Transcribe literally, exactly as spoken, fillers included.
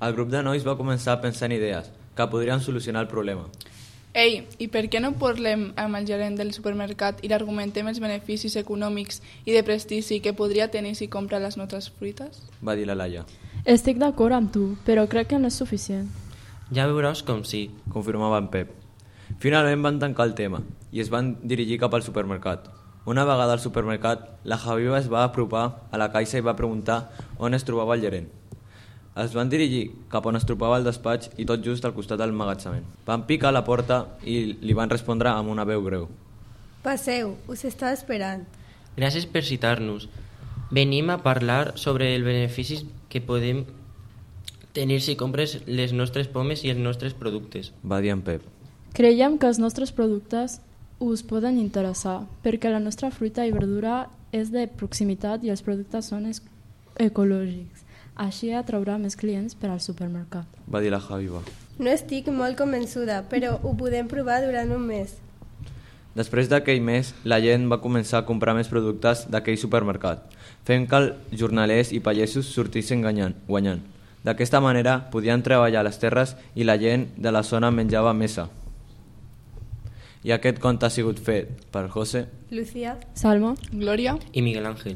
El grup de nois va començar a pensar en idees que podrien solucionar el problema. Ei, i per què no parlem amb el gerent del supermercat i l'argumentem els beneficis econòmics i de prestigi que podria tenir si compra les nostres fruites? Va dir la Laia. Estic d'acord amb tu, però crec que no és suficient. Ja veuràs com sí, confirmava en Pep. Finalment van tancar el tema i es van dirigir cap al supermercat. Una vegada al supermercat, la Javiva es va apropar a la caixa i va preguntar on es trobava el gerent. Es van dirigir cap on es trobava el despatx i tot just al costat del magatzament. Van picar a la porta i li van respondre amb una veu greu. Passeu, us estava esperant. Gràcies per citar-nos. Venim a parlar sobre els beneficis que podem tenir si compres les nostres pomes i els nostres productes. Va dir en Pep. Creiem que els nostres productes us poden interessar, perquè la nostra fruita i verdura és de proximitat i els productes són ecològics. Així atraurà més clients per al supermercat. Va dir la Javiva. No estic molt convençuda, però ho podem provar durant un mes. Després d'aquell mes, la gent va començar a comprar més productes d'aquell supermercat, fent que els jornalers i pagesos sortissin guanyant. D'aquesta manera podien treballar les terres i la gent de la zona menjava mesa. I aquest conte ha sigut fet per José, Lucía, Salma, Glòria i Miguel Ángel.